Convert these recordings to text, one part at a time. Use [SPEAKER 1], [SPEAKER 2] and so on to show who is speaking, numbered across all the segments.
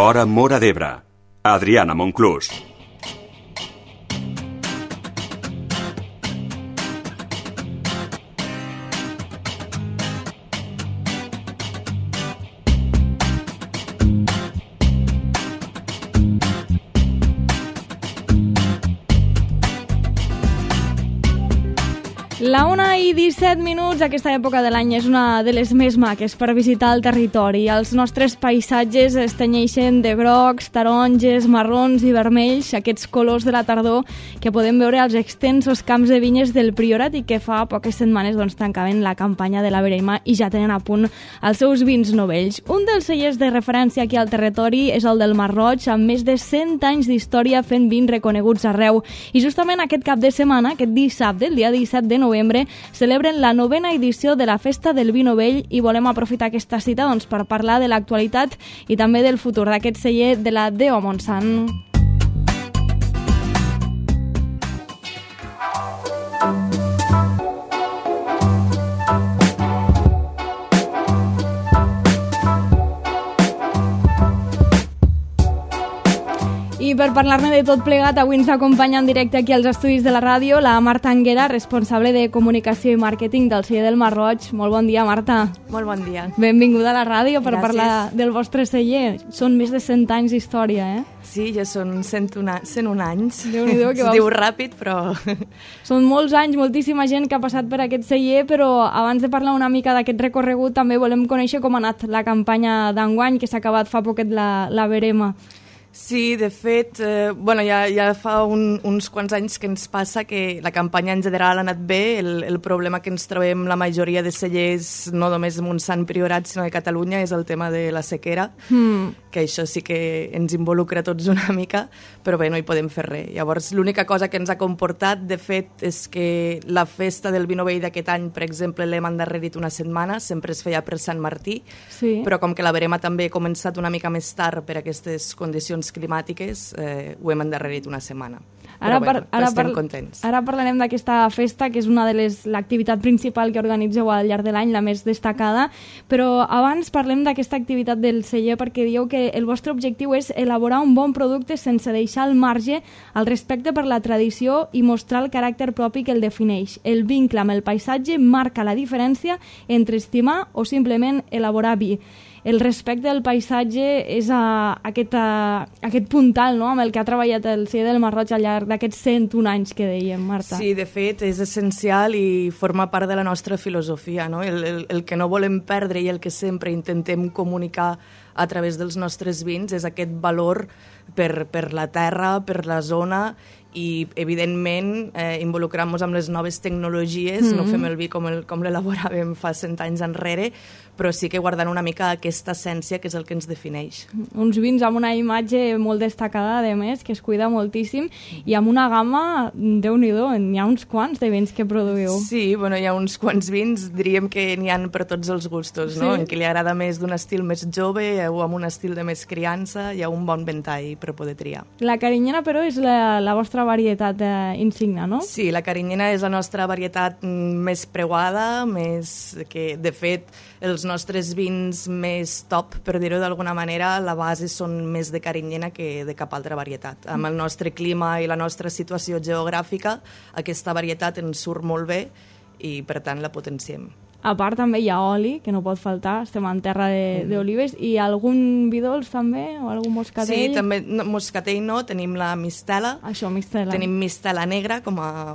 [SPEAKER 1] Fora Móra d'Ebre. Adriana Monclús.
[SPEAKER 2] La 1:17, aquesta època de l'any és una de les més maques per visitar el territori. Els nostres paisatges es tenyeixen de grocs, taronges, marrons i vermells, aquests colors de la tardor que podem veure als extensos camps de vinyes del Priorat i que fa poques setmanes tancaven la campanya de la Verema i ja tenen a punt els seus vins novells. Un dels cellers de referència aquí al territori és el del Masroig, amb més de 100 anys d'història fent vins reconeguts arreu. I justament aquest cap de setmana, aquest dissabte, el dia 17 de novembre, celebren la 9ª edició de la Festa del Vi Novell i volem aprofitar aquesta cita per parlar de l'actualitat i també del futur d'aquest celler de la D.O. Montsant. I per parlar-ne de tot plegat, avui ens acompanya en directe aquí als estudis de la ràdio la Marta Anguera, responsable de comunicació i màrqueting del celler del Masroig. Molt bon dia, Marta.
[SPEAKER 3] Molt bon dia.
[SPEAKER 2] Benvinguda a la ràdio per
[SPEAKER 3] Gràcies.
[SPEAKER 2] parlar del vostre celler. Són més de 100 anys d'història, eh?
[SPEAKER 3] Sí, ja són 101 anys.
[SPEAKER 2] Déu-n'hi-do, que
[SPEAKER 3] es diu ràpid, però...
[SPEAKER 2] Són molts anys, moltíssima gent que ha passat per aquest celler, però abans de parlar una mica d'aquest recorregut també volem conèixer com ha anat la campanya d'enguany, que s'ha acabat fa poquet la Verema.
[SPEAKER 3] Sí, de fet, ja fa uns quants anys que ens passa que la campanya en general ha anat bé. El problema que ens trobem la majoria de cellers, no només de Montsant Priorat, sinó de Catalunya, és el tema de la sequera, que això sí que ens involucra tots una mica, però bé, no hi podem fer res. Llavors, l'única cosa que ens ha comportat, de fet, és que la festa del Vi Novell d'aquest any, per exemple, l'hem endarrerit una setmana, sempre es feia per Sant Martí,
[SPEAKER 2] sí.
[SPEAKER 3] Però com que la Verema també ha començat una mica més tard per aquestes condicions climàtiques, ho hem endarrerit una setmana. Estem contents.
[SPEAKER 2] Ara parlarem d'aquesta festa, que és una de l'activitat principal que organitzeu al llarg de l'any, la més destacada, però abans parlem d'aquesta activitat del celler, perquè dieu que el vostre objectiu és elaborar un bon producte sense deixar al marge el respecte per la tradició i mostrar el caràcter propi que el defineix. El vincle amb el paisatge marca la diferència entre estimar o simplement elaborar vi. El respecte del paisatge és aquest puntal, no?, amb el que ha treballat el celler del Masroig al llarg d'aquests 101 anys que dèiem, Marta.
[SPEAKER 3] Sí, de fet, és essencial i forma part de la nostra filosofia, no? El que no volem perdre i el que sempre intentem comunicar a través dels nostres vins és aquest valor per la terra, per la zona i, evidentment, involucrant-nos amb les noves tecnologies. No fem el vi com l'elaboràvem fa 100 anys enrere, però sí que guardant una mica aquesta essència que és el que ens defineix.
[SPEAKER 2] Uns vins amb una imatge molt destacada, a més, que es cuida moltíssim, i amb una gamma, Déu-n'hi-do, n'hi ha uns quants de vins que produïu.
[SPEAKER 3] Sí, hi ha uns quants vins, diríem que n'hi ha per tots els gustos, no? En qui li agrada més d'un estil més jove o amb un estil de més criança, hi ha un bon ventall per poder triar.
[SPEAKER 2] La carinyena, però, és la vostra varietat insignia, no?
[SPEAKER 3] Sí, la carinyena és la nostra varietat més preuada, que, de fet, els nostres vins més top, per dir-ho d'alguna manera, la base són més de carinyena que de cap altra varietat. Amb el nostre clima i la nostra situació geogràfica, aquesta varietat ens surt molt bé i, per tant, la potenciem.
[SPEAKER 2] A part també hi ha oli, que no pot faltar, estem en terra d'olives, i algun vi dolç també, o algun moscatell?
[SPEAKER 3] Sí, també, moscatell no, tenim la mistela.
[SPEAKER 2] Això, mistela.
[SPEAKER 3] Tenim mistela negra com a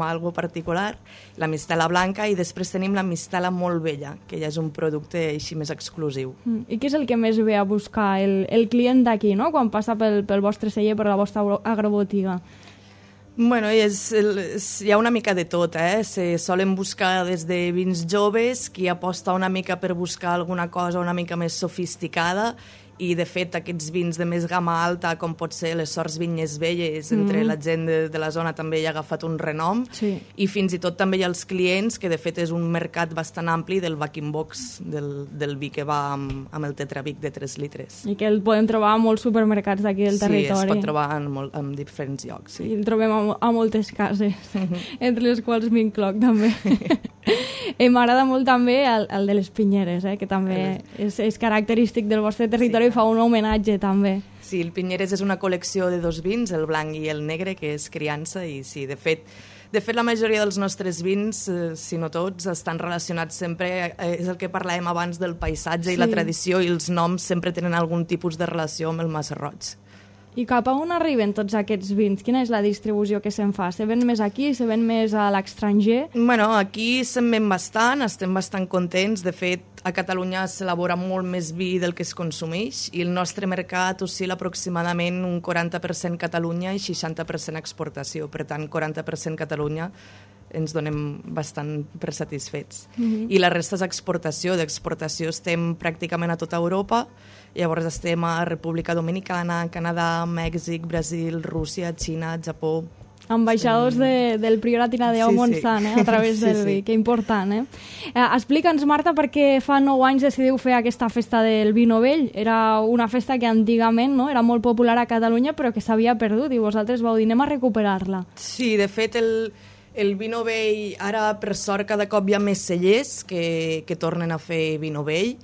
[SPEAKER 3] algo particular, la mistela blanca, i després tenim la mistela molt vella, que ja és un producte així més exclusiu.
[SPEAKER 2] I què és el que més ve a buscar el client d'aquí, no?, quan passa pel vostre celler, per la vostra agrobotiga?
[SPEAKER 3] Hi ha una mica de tot, Se solen buscar des de vins joves, qui aposta una mica per buscar alguna cosa una mica més sofisticada, i de fet aquests vins de més gamma alta, com pot ser les Sorts Vinyes Velles, entre la gent de la zona també hi ha agafat un renom, i fins i tot també hi ha els clients, que de fet és un mercat bastant ampli del back-in-box, del vi que va amb el Tetrabric de 3 litres.
[SPEAKER 2] I que el podem trobar a molts supermercats d'aquí del territori.
[SPEAKER 3] Sí, es pot trobar en diferents llocs.
[SPEAKER 2] I el trobem a moltes cases, entre les quals m'incloc també. M'agrada molt també el de les Pinyeres, que també és característic del vostre territori, i fa un homenatge també.
[SPEAKER 3] Sí, el Pinyeres és una col·lecció de dos vins, el blanc i el negre, que és criança, i sí, de fet, la majoria dels nostres vins, si no tots, estan relacionats sempre, és el que parlàvem abans del paisatge i la tradició, i els noms sempre tenen algun tipus de relació amb el Massarroig.
[SPEAKER 2] I cap a on arriben tots aquests vins? Quina és la distribució que se'n fa? Se ven més aquí, se ven més a l'estranger?
[SPEAKER 3] Bueno, aquí se'n ven bastant, estem bastant contents. De fet, a Catalunya s'elabora molt més vi del que es consumeix i el nostre mercat oscil·la aproximadament un 40% Catalunya i 60% exportació. Per tant, 40% Catalunya ens donem bastant per satisfets. I la resta és exportació. D'exportació estem pràcticament a tota Europa. Llavors estem a República Dominicana, Canadà, Mèxic, Brasil, Rússia, Xina, Japó.
[SPEAKER 2] Ambaixadors del Priorat i la Déu Montsant, a través del vi, que important. Explica'ns, Marta, per què fa 9 anys decidiu fer aquesta festa del vi novell. Era una festa que antigament era molt popular a Catalunya, però que s'havia perdut, i vosaltres vau dir, anem a recuperar-la.
[SPEAKER 3] Sí, de fet, el vi novell, ara, per sort, cada cop hi ha més cellers que tornen a fer vi novell.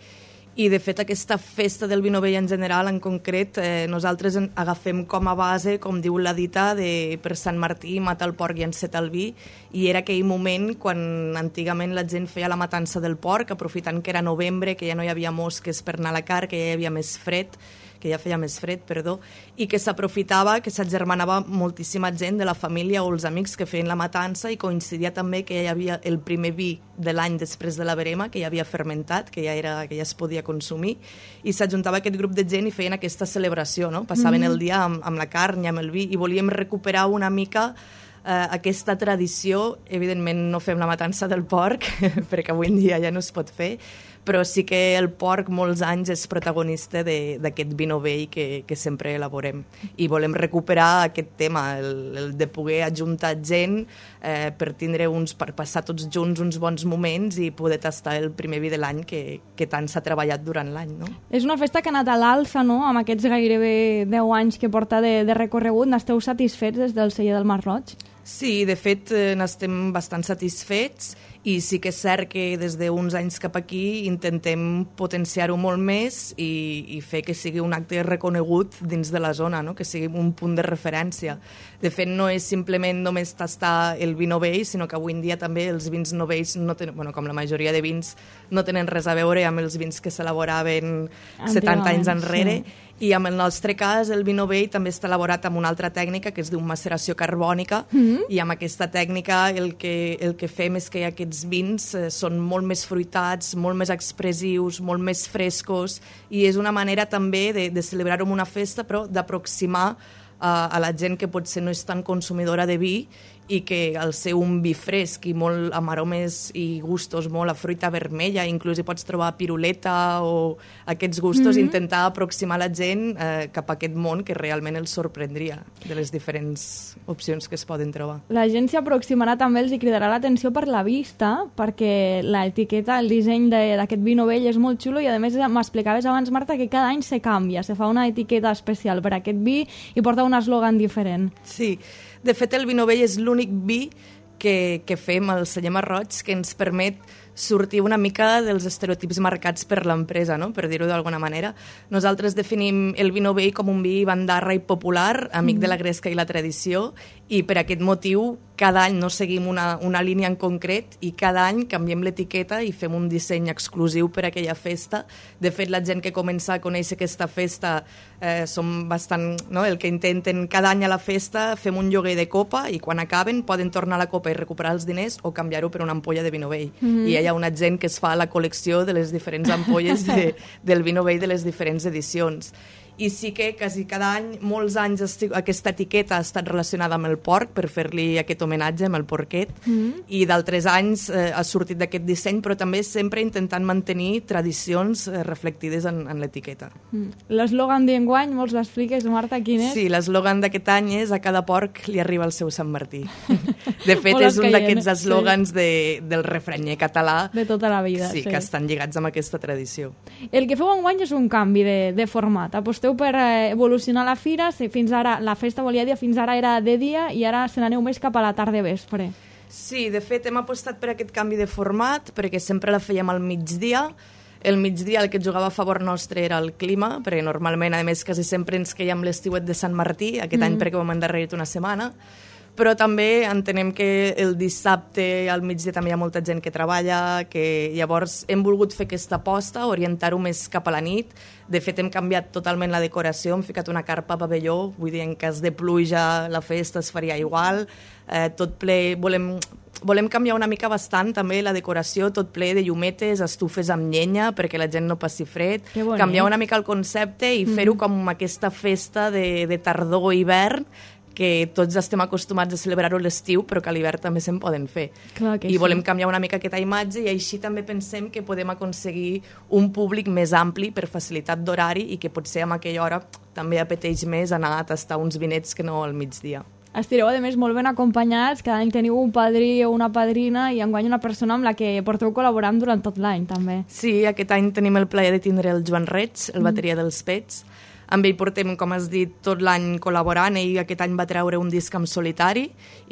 [SPEAKER 3] I, de fet, aquesta festa del vi novell en general, en concret, nosaltres agafem com a base, com diu la dita, per Sant Martí, mata el porc i enceta el vi, i era aquell moment quan antigament la gent feia la matança del porc, aprofitant que era novembre, que ja no hi havia mosques per anar a la car, que ja hi havia més fred, i que s'aprofitava, que s'agermanava moltíssima gent de la família o els amics que feien la matança, i coincidia també que hi havia el primer vi de l'any després de la verema, que ja havia fermentat, que ja es podia consumir, i s'ajuntava aquest grup de gent i feien aquesta celebració, no? Passaven el dia amb la carn i amb el vi, i volíem recuperar una mica aquesta tradició. Evidentment no fem la matança del porc, perquè avui en dia ja no es pot fer, però sí que el porc molts anys és protagonista d'aquest vi novell que sempre elaborem. I volem recuperar aquest tema, el de poder ajuntar gent per passar tots junts uns bons moments i poder tastar el primer vi de l'any que tant s'ha treballat durant l'any. No?
[SPEAKER 2] És una festa que ha anat a l'alça, no? Amb aquests gairebé 10 anys que porta de recorregut. N'esteu satisfets des del celler del Masroig?
[SPEAKER 3] Sí, de fet, n'estem bastant satisfets, i sí que és cert que des d'uns anys cap aquí intentem potenciar-ho molt més i fer que sigui un acte reconegut dins de la zona, no? Que sigui un punt de referència. De fet, no és simplement només tastar el vi novell, sinó que avui en dia també els vins novells, com la majoria de vins, no tenen res a veure amb els vins que s'elaboraven 70 anys enrere. Sí. I en el nostre cas, el vi novell també està elaborat amb una altra tècnica que es diu maceració carbònica, i amb aquesta tècnica el que fem és que aquests vins són molt més fruitats, molt més expressius, molt més frescos, i és una manera també de celebrar-ho en una festa, però d'aproximar a la gent que potser no és tan consumidora de vi, i que al ser un vi fresc i molt amb aromes i gustos molt a fruita vermella, inclús hi pots trobar piruleta o aquests gustos, intentar aproximar la gent cap a aquest món que realment els sorprendria de les diferents opcions que es poden trobar.
[SPEAKER 2] La gent s'hi aproximarà també, els hi cridarà l'atenció per la vista, perquè l'etiqueta, el disseny d'aquest vi novell és molt xulo, i a més m'explicaves abans, Marta, que cada any se canvia, se fa una etiqueta especial per aquest vi i porta un eslògan diferent.
[SPEAKER 3] Sí, de fet el vi novell és l'únic vi que fem al celler Masroig que ens permet sortir una mica dels estereotips marcats per l'empresa, no? Per dir-ho d'alguna manera. Nosaltres definim el vi novell com un vi bandarra i popular, amic de la gresca i la tradició, i per aquest motiu cada any no seguim una línia en concret, i cada any canviem l'etiqueta i fem un disseny exclusiu per a aquella festa. De fet, la gent que comença a conèixer aquesta festa som bastant, no? El que intenten cada any a la festa, fem un lloguer de copa, i quan acaben poden tornar a la copa i recuperar els diners o canviar-ho per una ampolla de vi novell. I hi ha una gent que es fa la col·lecció de les diferents ampolles del vi novell de les diferents edicions. I sí que quasi cada any, molts anys, aquesta etiqueta ha estat relacionada amb el porc, per fer-li aquest homenatge amb el porquet, i d'altres anys ha sortit d'aquest disseny, però també sempre intentant mantenir tradicions reflectides en l'etiqueta.
[SPEAKER 2] L'eslògan d'enguany, vols l'expliques, Marta, quin és?
[SPEAKER 3] Sí, l'eslògan d'aquest any és "a cada porc li arriba el seu Sant Martí". De fet, és un d'aquests eslògans del refranyer català
[SPEAKER 2] de tota la vida,
[SPEAKER 3] que estan lligats amb aquesta tradició.
[SPEAKER 2] El que feu enguany és un canvi de format. Aposteu per evolucionar la fira. Fins ara, la festa volia dir, fins ara era de dia, i ara se n'aneu més cap a la tarda vespre.
[SPEAKER 3] Sí, de fet hem apostat per aquest canvi de format perquè sempre la fèiem al migdia. El migdia el que jugava a favor nostre era el clima, perquè normalment, a més, quasi sempre ens queiem l'estiuet de Sant Martí, aquest any perquè ho hem endarrerit una setmana, però també entenem que el dissabte al migdia també hi ha molta gent que treballa, que llavors hem volgut fer aquesta aposta, orientar-ho més cap a la nit. De fet, hem canviat totalment la decoració, hem ficat una carpa a pavelló, vull dir, en cas de pluja la festa es faria igual, tot ple... Volem canviar una mica bastant també la decoració, tot ple de llumetes, estufes amb llenya perquè la gent no passi fred, canviar una mica el concepte i fer-ho com aquesta festa de tardor o hivern que tots estem acostumats a celebrar-ho a l'estiu, però que a l'hivern també se'n poden fer. I volem canviar una mica aquesta imatge i així també pensem que podem aconseguir un públic més ampli per facilitat d'horari i que potser a aquella hora també apeteix més anar a tastar uns vinets que no al migdia.
[SPEAKER 2] Estireu, a més, molt ben acompanyats, cada any teniu un padrí o una padrina i enguany una persona amb la que porteu col·laborant durant tot l'any, també.
[SPEAKER 3] Sí, aquest any tenim el plaer de tindre el Joan Reig, el bateria dels Pets. Amb ell portem, com has dit, tot l'any col·laborant. Ell aquest any va treure un disc en solitari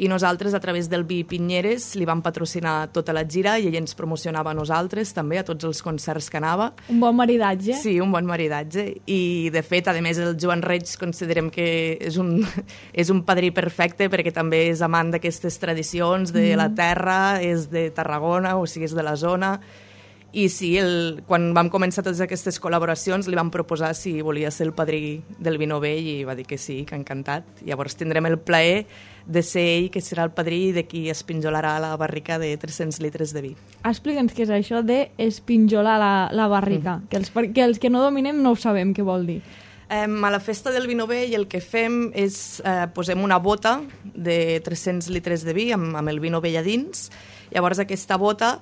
[SPEAKER 3] i nosaltres, a través del Vi Pinyeres, li vam patrocinar tota la gira i ell ens promocionava a nosaltres, també, a tots els concerts que anava.
[SPEAKER 2] Un bon maridatge.
[SPEAKER 3] Sí, un bon maridatge. I, de fet, a més, el Joan Reig considerem que és un padrí perfecte perquè també és amant d'aquestes tradicions de la terra, és de Tarragona, o sigui, és de la zona. I sí, quan vam començar totes aquestes col·laboracions li vam proposar si volia ser el padrí del vi novell i va dir que sí, que encantat. Llavors tindrem el plaer de ser ell que serà el padrí de qui espinjolarà la barrica de 300 litres de vi.
[SPEAKER 2] Explica'ns què és això de espinjolar la barrica, que els que no dominem no ho sabem què vol dir.
[SPEAKER 3] A la festa del vi novell el que fem és posem una bota de 300 litres de vi amb el vi novell a dins. Llavors aquesta bota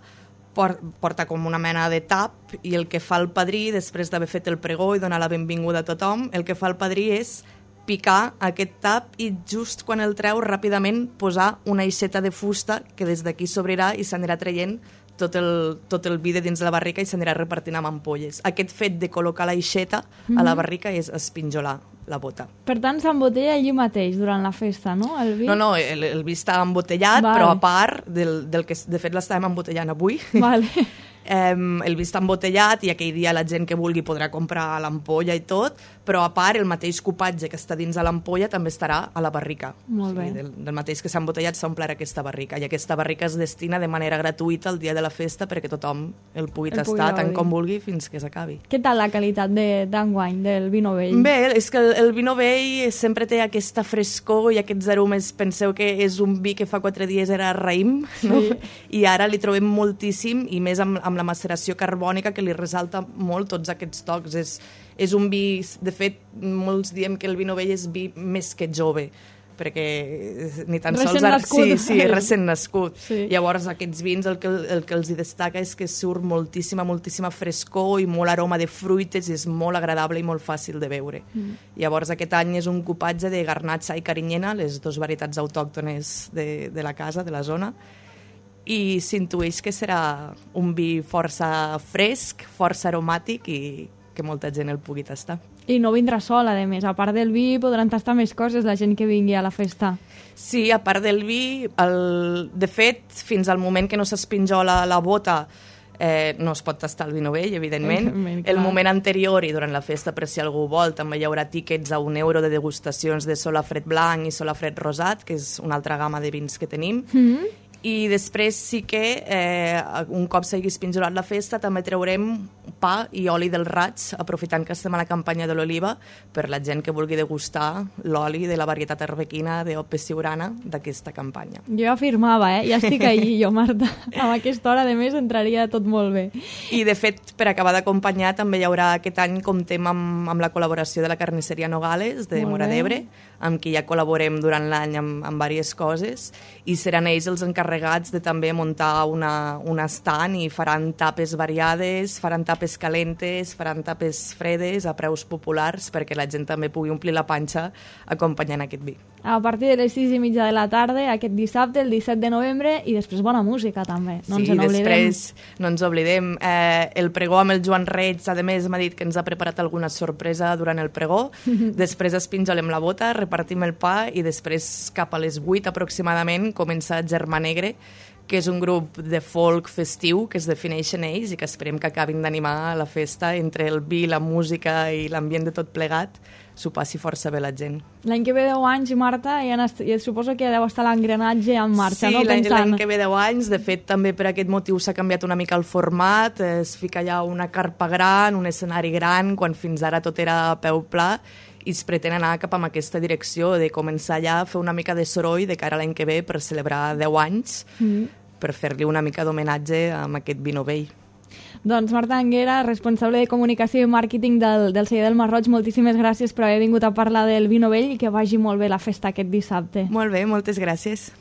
[SPEAKER 3] porta com una mena de tap i el que fa el padrí, després d'haver fet el pregó i donar la benvinguda a tothom, el que fa el padrí és picar aquest tap i just quan el treu ràpidament posar una aixeta de fusta que des d'aquí s'obrirà i s'anirà traient tot el vi de dins de la barrica i s'anirà repartint amb ampolles. Aquest fet de col·locar l'aixeta a la barrica és espinjolar la bota.
[SPEAKER 2] Per tant, s'embotella allí mateix, durant la festa, no? El vi?
[SPEAKER 3] No, el vi està embotellat, però a part del que de fet l'estàvem embotellant avui.
[SPEAKER 2] Vale.
[SPEAKER 3] El vi està embotellat i aquell dia la gent que vulgui podrà comprar l'ampolla i tot, però a part el mateix cupatge que està dins de l'ampolla també estarà a la barrica.
[SPEAKER 2] Molt bé.
[SPEAKER 3] Del mateix que s'ha embotellat s'ha omplert aquesta barrica i aquesta barrica es destina de manera gratuïta el dia de la festa perquè tothom el pugui tastar tant com vulgui fins que s'acabi.
[SPEAKER 2] Què tal la qualitat d'enguany del vi novell?
[SPEAKER 3] Bé, és que el vi novell sempre té aquesta frescor i aquests aromes. Penseu que és un vi que fa 4 dies era raïm, no? I ara li trobem moltíssim i més amb la maceració carbònica que li resalta molt tots aquests tocs. És un vi, de fet, molts diem que el vi novell és vi més que jove, perquè ni tan sols... Sí, recent nascut. Sí. Llavors, aquests vins el que els destaca és que surt moltíssima frescor i molt aroma de fruites i és molt agradable i molt fàcil de beure. Llavors, aquest any és un cupatge de garnatxa i carinyena, les dues varietats autòctones de la casa, de la zona, i s'intueix que serà un vi força fresc, força aromàtic i que molta gent el pugui tastar.
[SPEAKER 2] I no vindrà sol, a més. A part del vi podran tastar més coses la gent que vingui a la festa.
[SPEAKER 3] Sí, a part del vi, de fet, fins al moment que no s'espinjola la bota no es pot tastar el vi novell, evidentment. El moment anterior i durant la festa, per si algú vol, també hi haurà tíquets a €1 de degustacions de solafred blanc i solafred rosat, que és una altra gamma de vins que tenim. I després sí que, un cop s'hagi espinjolat la festa, també traurem pa i oli del raig, aprofitant que estem a la campanya de l'oliva, per la gent que vulgui degustar l'oli de la varietat arbequina d'Ope Siurana d'aquesta campanya.
[SPEAKER 2] Jo afirmava, ja estic allí, jo, Marta. A aquesta hora, a més, entraria tot molt bé.
[SPEAKER 3] I, de fet, per acabar d'acompanyar, també hi haurà aquest any, comptem amb la col·laboració de la carnisseria Nogales, de Móra d'Ebre, amb qui ja col·laborem durant l'any amb diverses coses, i seran ells els encarregats de també muntar un estand i faran tapes variades, faran tapes calentes, faran tapes fredes a preus populars perquè la gent també pugui omplir la panxa acompanyant aquest vi.
[SPEAKER 2] A partir de les 6:30 de la tarda, aquest dissabte, el 17 de novembre, i després bona música, també. No ens n'oblidem.
[SPEAKER 3] Després no ens oblidem. El pregó amb el Joan Reig, a més, m'ha dit que ens ha preparat alguna sorpresa durant el pregó. Després espinjolem la bota, repartim el pa i després, cap a les 8 aproximadament, comença Germà Negre, que és un grup de folk festiu que es defineixen ells i que esperem que acabin d'animar la festa entre el vi, la música i l'ambient de tot plegat. S'ho passi força bé la gent.
[SPEAKER 2] L'any que ve 10 anys, Marta, i suposo que deu estar l'engranatge en marxa,
[SPEAKER 3] sí,
[SPEAKER 2] no?
[SPEAKER 3] Sí, l'any que ve 10 anys. De fet, també per aquest motiu s'ha canviat una mica el format. Es fica allà una carpa gran, un escenari gran, quan fins ara tot era a peu pla, i es pretén anar cap a aquesta direcció de començar allà a fer una mica de soroll de cara a l'any que ve per celebrar 10 anys, per fer-li una mica d'homenatge amb aquest vi novell.
[SPEAKER 2] Doncs Marta Anguera, responsable de comunicació i màrqueting del celler del Masroig, moltíssimes gràcies per haver vingut a parlar del vi novell i que vagi molt bé la festa aquest dissabte.
[SPEAKER 3] Molt bé, moltes gràcies.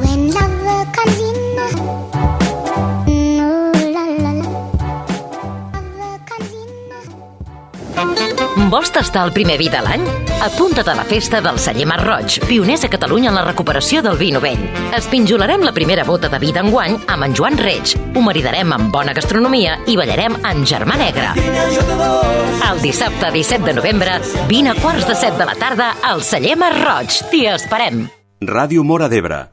[SPEAKER 4] When love comes in,
[SPEAKER 5] Vols tastar el primer vi de l'any? Apunta't a la festa del celler Masroig, pioners a Catalunya en la recuperació del vi novell. Espinjolarem la primera bota de vi d'enguany amb en Joan Reig, ho maridarem amb bona gastronomia i ballarem en Germà Negre. El dissabte 17 de novembre, vine a 6:45 de la tarda al celler Masroig. T'hi esperem.
[SPEAKER 1] Ràdio Móra d'Ebre,